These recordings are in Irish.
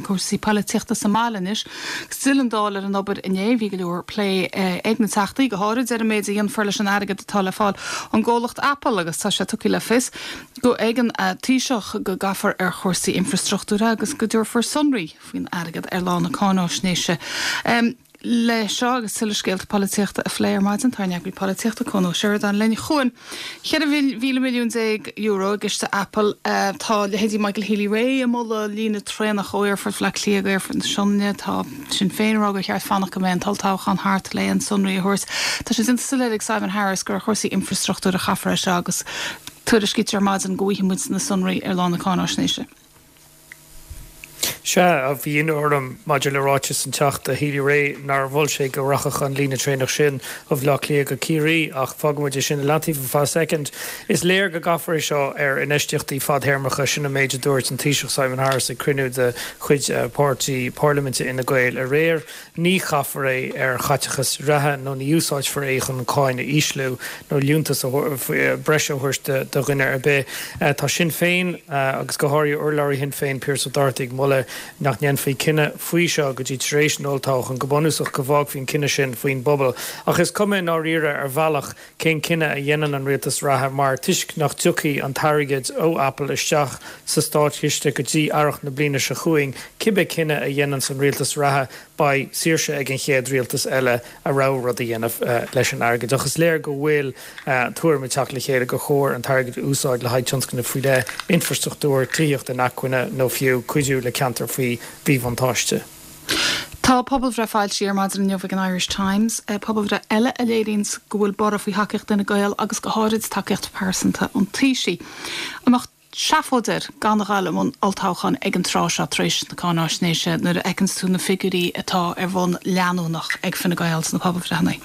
cúrsaí polaitíochta sa mbaile anois. Agus d'fhill an Dáil ar an obair inné. Bhí go leor plé ag na Teachtaí, go háirid ar an méid a dhéanfar leis an airgead atá le fáil ón gcomhlacht Apple agus tá sé tugtha le fios go ag an Taoiseach go gcaithfear ar chúrsaí infreastruchtúir agus go dtabharfar sonraí faoin airgead ar lá na cáináisnéise. Le seo agus tuilleadh scéalta polaitíochta a phlé ar maidin, tá ár n-eagraí polaitíochta, Cuan Ó Seireadáin linn. A Chuain, €14 mhíle milliún i gciste Apple. Tá leithéidí Michael Healy-Rae ag moladh líne traenach ó Aerfort Bhaile Átha Cliath go Aerfort na Sionainne. Tá Sinn Féin ag rá gur cheart fanacht go mbeidh an t-olltoghchán thart le aon sonraí a thabhairt. Tá sé déanta soiléir ag Simon Harris gur ar chúrsaí infreastruchtúir a chaithfear é seo agus tuairiscítear ar maidin go bhfaighidh muid na sonraí ar lá na cáináisnéise. Sea, bhí ionadh orm maidir le ráiteas an Teachta Healy-Rae nár mhol sé go rachadh an líne traenach sin ó Bhaile Átha Cliath go Ciarraí, ach fágfaidh muid é sin i leataobh ar feadh soicind. Is léir go gcaithfear é seo ar infheistíochtaí fadthéarmacha, sin an méid a dúirt an Taoiseach Simon Harris ag cruinniú de chuid páirtí parlaiminte Fhine Gael aréir. Ní chaithfear é ar chaiteachas reatha nó ní úsáidfear é chun an cáin a ísliú nó liúntas breise a thabhairt do dhuine ar bith. Tá Sinn Féin, agus go háirithe urlabhraí Shinn Féin, Pearse Doherty, ag moladh nach ndéanfaí cinneadh faoi seo go dtí tar éis an olltoghcháin, go bunúsach go bhfágfaí an cinneadh sin faoin bpobal. Ach is cuma i ndáiríre ar bhealach cén cinneadh a dhéanann an rialtas reatha mar toisc nach dtiocfaidh an t-airgead ó Apple isteach sa státchiste go dtí earrach na bliana seo chugainn, cibé cinneadh a dhéananns an rialtas reatha beidh saoirse ag an chéad rialtas eile a rogha rud a dhéanamh leis an airgead. Ach is léir go bhfuil tuairim ag teacht le chéile gur chóir an t-airgead a úsáid le haghaidh tionscnaimh faoi leith, infreastruchtúr, tithíocht inacmhainne nó fiú cuidiú le ceantair faoi mhíbhuntáiste. Tá pobalbhreith foilsithe ar maidin inniu ag an Irish Times, pobalbhreith eile a léiríonns go bhfuil borradh faoi thacaíocht Fhine Gael agus go háirid tacaíocht phearsanta an Taoisigh. An mbeadh seafóid air gan a ghabháil i mbun olltoghcháin ag an tráth seo tar éis na cáináisnéise nuair a fheiceanns tú na figiúirí atá ar bhonn leanúnach ag Fine Gael sna pobalbhreitheanna?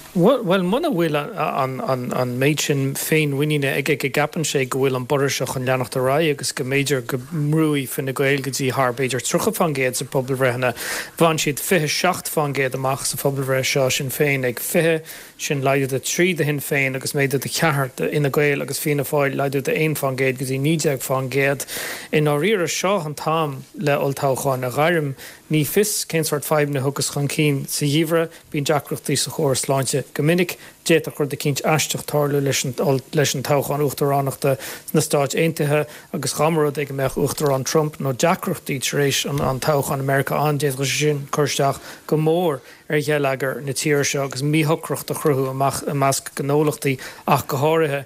Bhuel, muna bhfuil an méid sin féinmhuiníne aige go gceapann sé go bhfuil an borradh seo chun leanacht ar aghaidh agus go mb'fhéidir go mbrúfaidh Fine Gael go dtí thar b'fhéidir 30% sa phobalbhreitheanna, bhain siad 27% amach sa phobalbhreith seo, Sinn Féin ag 20, sin laghdú de 3 do Shinn Féin agus méadú de 4 do Fhine Gael agus Fianna Fáil, laghdú de 1% go dtí 19%. I ndáiríre, seo an t-am le olltoghchán a ghairm. Ní fios cén sórt fadhbanna a thiocfas chun cinn sa gheimhreadh. Bíonn deacrachtaí sa chóras sláinte go minic. D'fhéadfadh rud eicínt aisteach tarlú leis leis an toghchán uachtaránachta sna Stáit Aontaithe agus dá mba rud é go mbeadh Uachtarán Trump nó deacrachtaí tar éis an toghchán i Meiriceá ann, d'fhéadfadh sé sin cur isteach go mór ar gheilleagar na tíre seo agus míshocracht a chruthú i measc gnólachtaí ach go háirithe.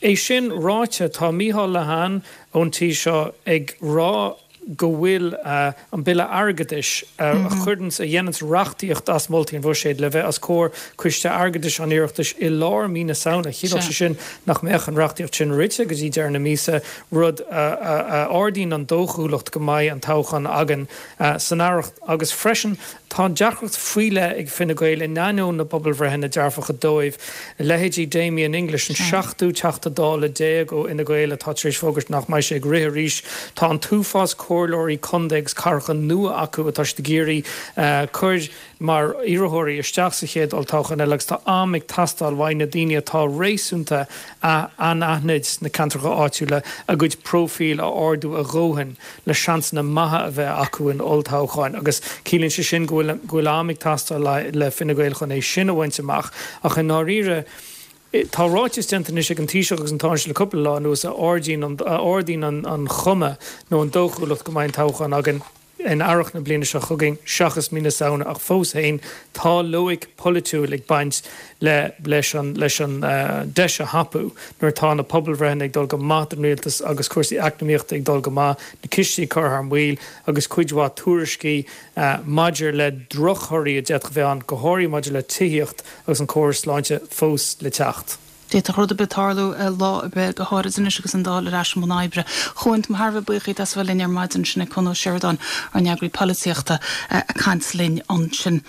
É sin ráite, tá Micheál Lehane ón Tí seo ag rá go bhfuil an Bille Airgeadais, a chuireanns, a dhéananns reachtaíocht as moltaí an Bhuiséid, le bheith os comhair Coiste Airgeadais an Oireachtais i lár mí na Samhna. Chiallódh sé sin nach mbeadh an reachtaíocht sin rite go dtí deireadh na míosa, rud a ardaíonn an dóchúlacht go mbeidh an toghchán againn san earrach. Agus freisin, Tá deacracht faoi leith ag Fine Gael in ainneoin na bpobalbhreitheanna dearfacha dóibh. Leithéidí Damien English, an seachtú Teachta Dála déag ó Fhine Gael atá tar éis fógairt nach mbeidh sé ag rith arís. Tá an t-uafás comhairleoirí contae agus cathracha nua acu atá siad ag iarraidh cur mar iarrthóirí isteach sa chéad olltoghchán eile agus tá am ag teastáil uaidh na daoine atá réasúnta anaithnid sna ceantracha áitiúla a gcuid próifíl a ardú a dhóthain le seansanna maithe a bheith acu in olltoghcháin agus ciallaíonn sé sin go bhfuil go bhfuil am ag teastáil le Fine Gael chun é sin a bhaint amach. Ach i ndáiríre, tá ráiteas déanta anois ag an Taoiseach agus an Tánaiste le cúpla lá anuas a ardaíonn a ardaíonn an chuma nó an dóchúlacht go mbeidh an toghchán againn in earrach na bliana seo chugainn seachas mí na Samhna ach fós féin tá loighic pholaitiúil ag baint le leis an leis an deis a thapú nuair atá na pobalbhreitheanna ag dul go maith don rialtas agus cúrsaí eacnamaíochta ag dul go maith, na cistí curtha thar maoil agus cuid mhaith tuairiscí maidir le drochthorthaí a d'fhéadfadh a bheith ann, go háirithe maidir le tithíocht agus an córas sláinte, fós le teacht. D'fhéadfadh rud ar bith tarlú lá ar bith, go háirid anois agus an Dáil ar ais i mbun oibre. A Chuain, tá mé thar a bheith buíoch díot as a bheith linn ar maidin. Sin é Cuan Ó Seireadáin, ár n-eagraí polaitíochta, ag caint linn ansin.